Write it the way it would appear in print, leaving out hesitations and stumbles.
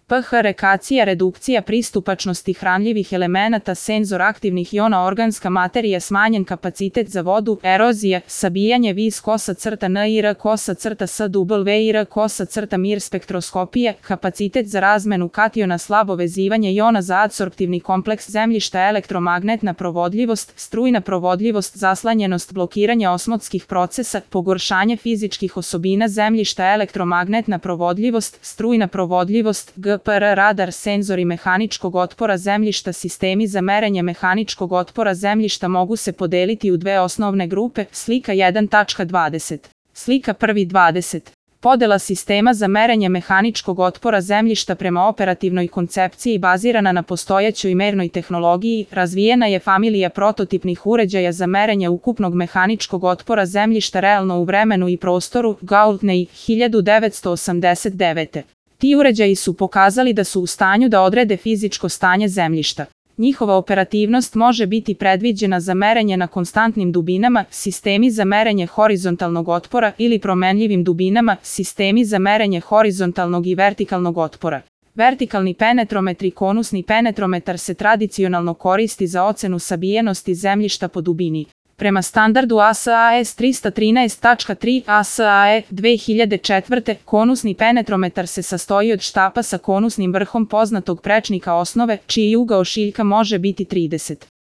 pH rekacija, redukcija pristupačnosti hranljivih elemenata, senzor aktivnih iona, organska materija, smanjen kapacitet za vodu, erozija, sabijanje, vis kosa crta NIR kosa crta SWIR kosa crta mir, spektroskopije, kapacitet za razmenu kationa, slabo vezivanje iona za adsorptivni kompleks zemljišta, elektromagnetna provodljivost, strujna provodljivost, zaslanjenost, blokiranje osmotskih procesa, pogoršanje fizičkih osobina zemljišta, elektromagnetna provodljivost, strujna provodljivost, GPR radar, senzori mehaničkog otpora zemljišta. Sistemi za merenje mehaničkog otpora zemljišta mogu se podeliti u dve osnovne grupe. Slika 1.20. Slika 1.20. Podela sistema za merenje mehaničkog otpora zemljišta prema operativnoj koncepciji bazirana na postojećoj mernoj tehnologiji. Razvijena je familija prototipnih uređaja za merenje ukupnog mehaničkog otpora zemljišta realno u vremenu i prostoru. Gaultney, 1989. Ti uređaji su pokazali da su u stanju da odrede fizičko stanje zemljišta. Njihova operativnost može biti predviđena za merenje na konstantnim dubinama, sistemi za merenje horizontalnog otpora, ili promenljivim dubinama, sistemi za merenje horizontalnog i vertikalnog otpora. Vertikalni penetrometar i konusni penetrometar se tradicionalno koristi za ocenu sabijenosti zemljišta po dubini. Prema standardu ASAE 313.3 ASAE 2004. konusni penetrometar se sastoji od štapa sa konusnim vrhom poznatog prečnika osnove, čiji ugao šiljka može biti 30.